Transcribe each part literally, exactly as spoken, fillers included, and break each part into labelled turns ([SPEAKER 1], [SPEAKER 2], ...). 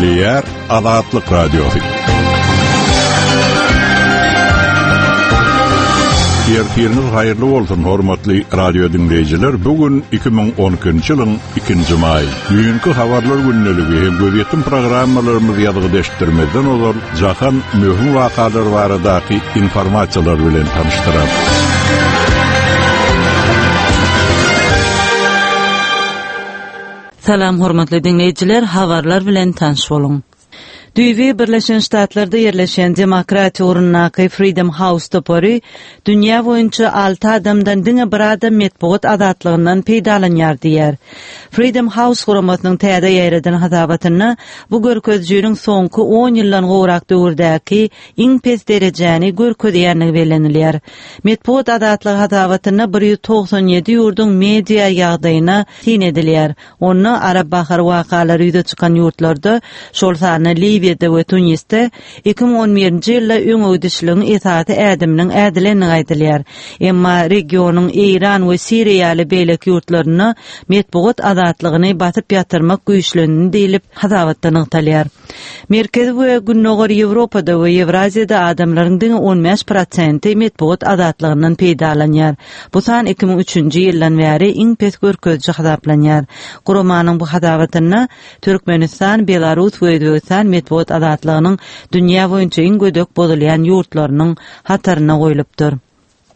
[SPEAKER 1] Gepleýär Azatlyk Radiosy. Ertiriňiz haýyrly bolsun, hormatly radio dinleýjiler. Bu gün iki müň on ikinji ýylyň ikinji maý. Düýnki habarlar gündeligi hem gözýetim programmalarymyz ýazgy deşdirmezden ozal jahan möhüm wakalar baradaky informasiýalar bilen tanyşdyrar.
[SPEAKER 2] Salam hormatly dinleýjiler, habarlar bilen tanyş boluň. Düýbi Birleşen Ştatlarda ýerleşen demokratiýa ugrundaky Freedom House topary dünýä boýunça alty adamdan diňe bir adam metbugat azatlygyndan peýdalanýar diýär. Freedom House guramasynyň täze ýaýradan hasabatynda bu görkezijiniň soňky on ýyldan gowrak döwürdäki iň pes derejäni görkezýänligi bellenilýär. Metbugat azatlygy hasabatynda bir ýüz togsan ýedi ýurduň media ýagdaýyna syn edilýär. Onda Arap bahar wakalary ýüze çykan ýurtlarda, şol sanda Liwiýada we Tunisde iki müň on birinji ýylda öňegidişligiň esasy ädiminiň ädilendigi aýdylýar. Emma regionyň Eýran we Siriýa ýaly beýleki ýurtlarynda metbugat azatlygyny basyp ýatyrmak güýçlendi diýlip hasabatda nygtalýar. Merkezi we Gündogar Ýewropada we Ýewraziýada adamlaryň diňe on bäş prosenti metbugat azatlygyndan peýdalanýar. Bu san iki müň üçünji ýyldan bäri iň pes görkeziji hasaplanýar. Guramanyň bu hasabatynda Türkmenistan, Belarus we Özbegistan metbugat azatlygynyň dünýä boýunça iň gödek bozulýan ýurtlarynyň hataryna goýlupdyr.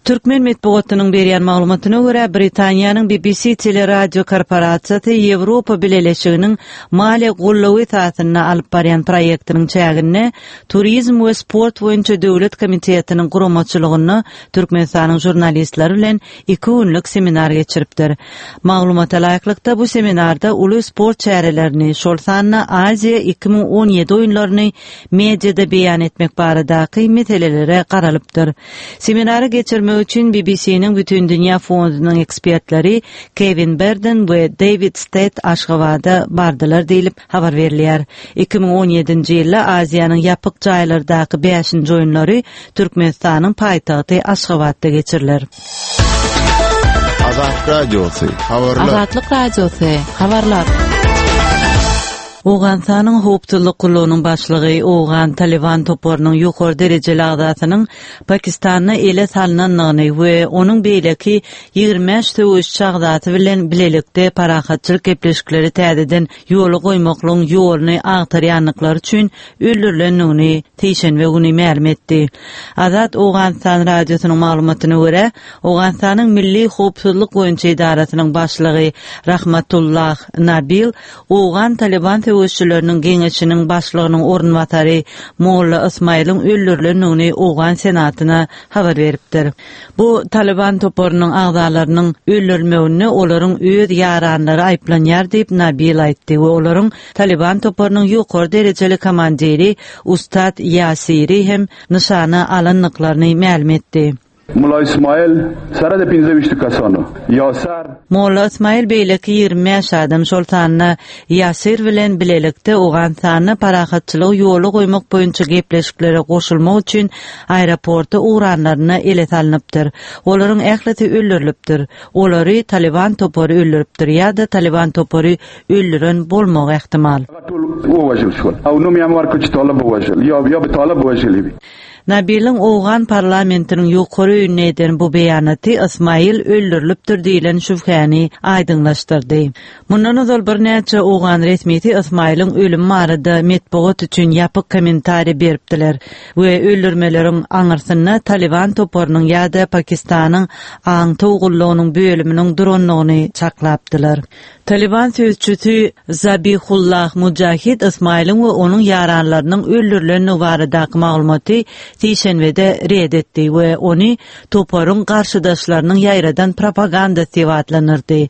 [SPEAKER 2] Türkmen metbugatynyň berýän maglumatyna görä, Britaniýanyň B B C teleradio korporasiýasy Ýewropa Bileleşiginiň maliýe goldawy esasynda alyp barýan proýektiniň çäginde Turizm we sport boýunça döwlet komitetiniň guramaçylygynda Türkmenistanyň žurnalistleri bilen iki günlük seminar geçiripdir. Maglumata laýyklykda bu seminarda uly sport çärelerini, şol sanda Aziýa iki müň on ýedi oýunlaryny mediada beýan etmek baradaky meselelere garalypdyr. Seminary geçirmek üçin B B C-niň Bütün Dünýä Fondunyň ekspertleri Kevin Burden we David Stead Aşgabada bardylar diýlip habar berilýär. iki müň on ýedinji ýylda Aziýanyň ýapyk jaýlardaky bäşinji oýunlary Türkmenistanyň paýtagty Aşgabatda geçiriler.
[SPEAKER 3] Azatlyk Radiosy, habarlar.
[SPEAKER 4] Azatlyk Radiosy, habarlar.
[SPEAKER 2] Owganystanyň howpsuzlyk gullugynyň başlygy Owgan Taliban toparynyň ýokary derejeli agzasynyň Pakistanda ele salnandygyny we onuň beýleki ýigrimi bäş söweşçi agzasy bilen bilelikde parahatçylyk gepleşikleri täzeden ýola goýmaklygyň ýoluny agtarýandyklary üçin öldürilendigini seýşenbe güni mälim etdi. Azat Owganystan radiosynyň maglumatyna görä, Owganystanyň Milli Howpsuzlyk boýunça edarasynyň başlygy Rahmatullah Nabil Owgan Taliban söweşçileriniň geňeşiniň başlygynyň orunbasary Molla Ismailiň öldürilendigini Owgan Senatyna habar beripdir. Bu Taliban toparynyň agzalarynyň öldürilmeginde olaryň öz ýaranlary aýyplanýar diýip Nabil aýtdy we olaryň Taliban toparynyň ýokary derejeli komandiri Ustad Ýasiri hem nyşana alandyklaryny mälim etdi.
[SPEAKER 5] Molla Ismail sarada pinzemişti kasonu. Yasar.
[SPEAKER 2] Molla Ismail beýleki ýigrimi bäş adam şol sanda Ýasir bilen bilelikde Owganystanda parahatçylygy ýola goýmak boýunça gepleşiklere goşulmak üçin aeroporta ugranlaryna ele salnypdyr. Olaryň ählisi öldürilipdir. Olary Taliban topary öldüripdir ýa-da Taliban topary öldüren bolmagy ähtimal. Nabiliň Owgan parlamentiniň ýokary öýünde eden bu beýanaty Ismail öldürilipdir diýilen şübhäni aýdyňlaşdyrdy. Mundan ozal birnäçe Owgan resmisi Ismailiň ölümi barada metbugat üçin ýapyk kommentariý beripdiler we öldürmeleriň aňyrsynda Taliban toparynyň ýa-da Pakistanyň aňtaw gullugynyň bölüminiň durandygyny çaklapdylar. Taliban sözçüsi Zabihullah Mujahid Ismailiň we onuň ýaranlarynyň öldürilendigi baradaky maglumaty seýşenbede red etdi we ony toparyň garşydaşlarynyň ýaýradan propagandasy diýip atlandyrdy.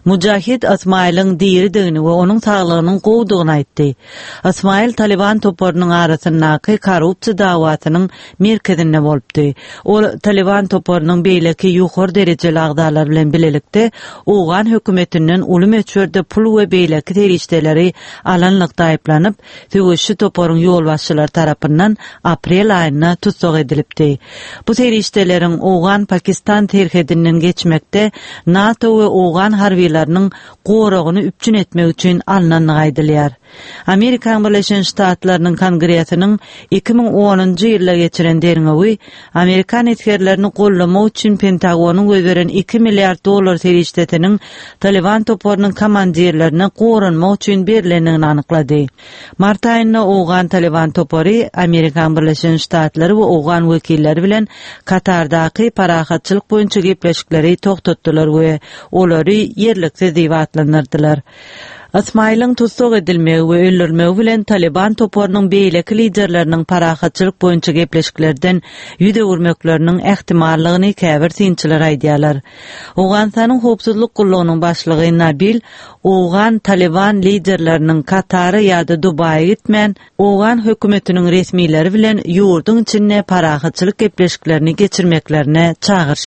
[SPEAKER 2] Mujahid Ismailiň diridigini we onuň saglygynyň gowudygyny aýtdy. Ismail Taliban toparynyň arasyndaky korrupsiýa dawasynyň merkezinde bolupdy. Ol Taliban toparynyň beýleki ýokary derejeli agzalary bilen bilelikde Owgan hökümetinden uly möçberde pul we beýleki serişdeleri alanlykda aýyplanyp, söweşçi toparyň ýolbaşçylary tarapyndan aprel aýynda tussag edilipdi. Bu serişdeleriň Owgan-Pakistan serhedinden geçmekde NATO we Owgan harbiýlarynyň goragyny üpjün etmek üçin alnandygy aýdylýar. Amerikan Birleşen Ştatlarynyň Kongresiniň iki müň onunjy ýylda geçiren derňewi Amerikan esgerlerini gollamak üçin Pentagonyň goýberen iki milliard dollar serişdesiniň Taliban toparynyň komandirlerine goranmak üçin berilendigini anyklady. Mart aýynda Owgan Taliban topary Amerikan Birleşen Ştatlary we Owgan wekilleri bilen Katardaky parahatçylyk boýunça gepleşikleri togtatdylar we olary ýerliksiz diýip atlandyrdylar. Ismailiň tussag edilmegi we öldürilmegi bilen Taliban toparynyň beýleki liderleriniň parahatçylyk boýunça gepleşiklerden ýüz öwürmekleriniň ähtimallygyny käbir synçylar aýdýarlar. Owganystanyň howpsuzlyk gullugynyň başlygy Nabil Owgan Taliban liderleriniň Katara ýa-da Dubaýa gitmän, Owgan hökümetiniň resmileri bilen ýurduň içinde parahatçylyk gepleşiklerini geçirmeklerine çagyryş